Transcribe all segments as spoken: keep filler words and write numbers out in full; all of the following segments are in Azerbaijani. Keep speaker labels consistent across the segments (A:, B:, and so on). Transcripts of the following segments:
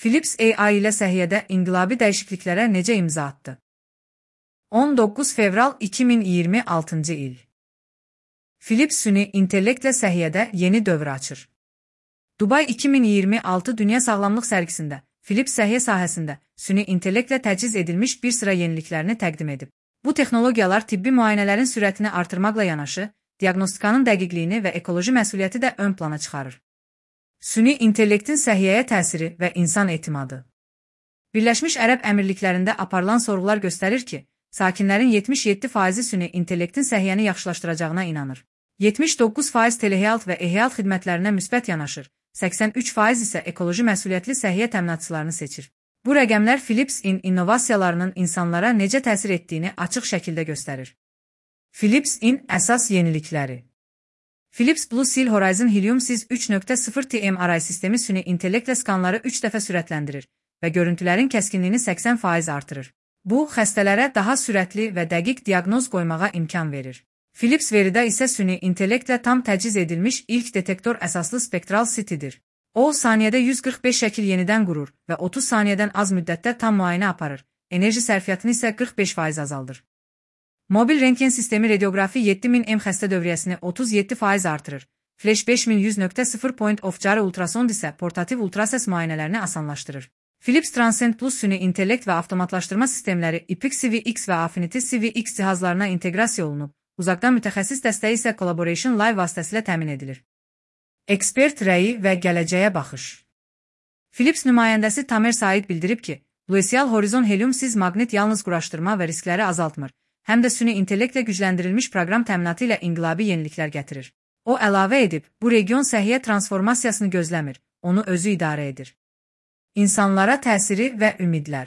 A: Philips A I ilə səhiyyədə inqilabi dəyişikliklərə necə imza atdı? on doqquz fevral iki min iyirmi altıncı il. Philips süni intellektlə səhiyyədə yeni dövr açır. Dubai iki min iyirmi altı Dünya Sağlamlıq Sərgisində Philips səhiyyə sahəsində süni intellektlə təchiz edilmiş bir sıra yeniliklərini təqdim edib. Bu texnologiyalar tibbi müayinələrin sürətini artırmaqla yanaşı, diaqnostikanın dəqiqliyini və ekoloji məsuliyyəti də ön plana çıxarır. Süni intellektin səhiyyəyə təsiri və insan etimadı. Birləşmiş Ərəb Əmirliklərində aparılan sorğular göstərir ki, sakinlərin yetmiş yeddi faizi süni intellektin səhiyyəni yaxşılaşdıracağına inanır. yetmiş doqquz faiz telehealth və e-health xidmətlərinə müsbət yanaşır, səksən üç faiz isə ekoloji məsuliyyətli səhiyyə təminatçılarını seçir. Bu rəqəmlər Philips-in innovasiyalarının insanlara necə təsir etdiyini açıq şəkildə göstərir. Philips-in əsas yenilikləri. Philips Blue Seal Horizon Helium-siz üç nöqtə sıfır T M R I sistemi süni intellektlə skanları üç dəfə sürətləndirir və görüntülərin kəskinliyini səksən faiz artırır. Bu, xəstələrə daha sürətli və dəqiq diaqnoz qoymağa imkan verir. Philips veridə isə süni intellektlə tam təchiz edilmiş ilk detektor əsaslı spektral C T-dir. O, saniyədə yüz qırx beş şəkil yenidən qurur və otuz saniyədən az müddətdə tam müayinə aparır, enerji sərfiyyatını isə qırx beş faiz azaldır. Mobil rentgen sistemi radioqrafi yeddi min M xəstə dövriyyəsini otuz yeddi faiz artırır. Flash beş min yüz nöqtə sıfır point of cari ultrasond isə portativ ultrasəs müayinələrini asanlaşdırır. Philips Transcend Plus süni intellekt və avtomatlaşdırma sistemləri I P X C V X və Affinity C V X cihazlarına inteqrasiya olunub, uzaqdan mütəxəssis dəstəyi isə Collaboration Live vasitəsilə təmin edilir. Ekspert rəyi və gələcəyə baxış. Philips nümayəndəsi Tamer Said bildirib ki, Blue Seal Horizon Helium-siz maqnit yalnız quraşdırma və riskləri azaltmır, həm də süni intellektlə gücləndirilmiş proqram təminatı ilə inqilabi yeniliklər gətirir. O əlavə edib, bu region səhiyyə transformasiyasını gözləmir, onu özü idarə edir. İnsanlara təsiri və ümidlər.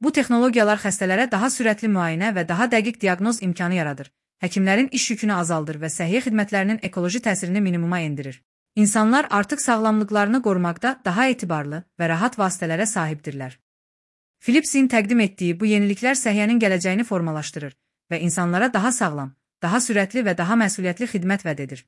A: Bu texnologiyalar xəstələrə daha sürətli müayinə və daha dəqiq diaqnoz imkanı yaradır, həkimlərin iş yükünü azaldır və səhiyyə xidmətlərinin ekoloji təsirini minimuma endirir. İnsanlar artıq sağlamlıqlarını qorumaqda daha etibarlı və rahat vasitələrə sahibdirlər. Philips'in təqdim etdiyi bu yeniliklər səhiyyənin gələcəyini formalaşdırır və insanlara daha sağlam, daha sürətli və daha məsuliyyətli xidmət vəd edir.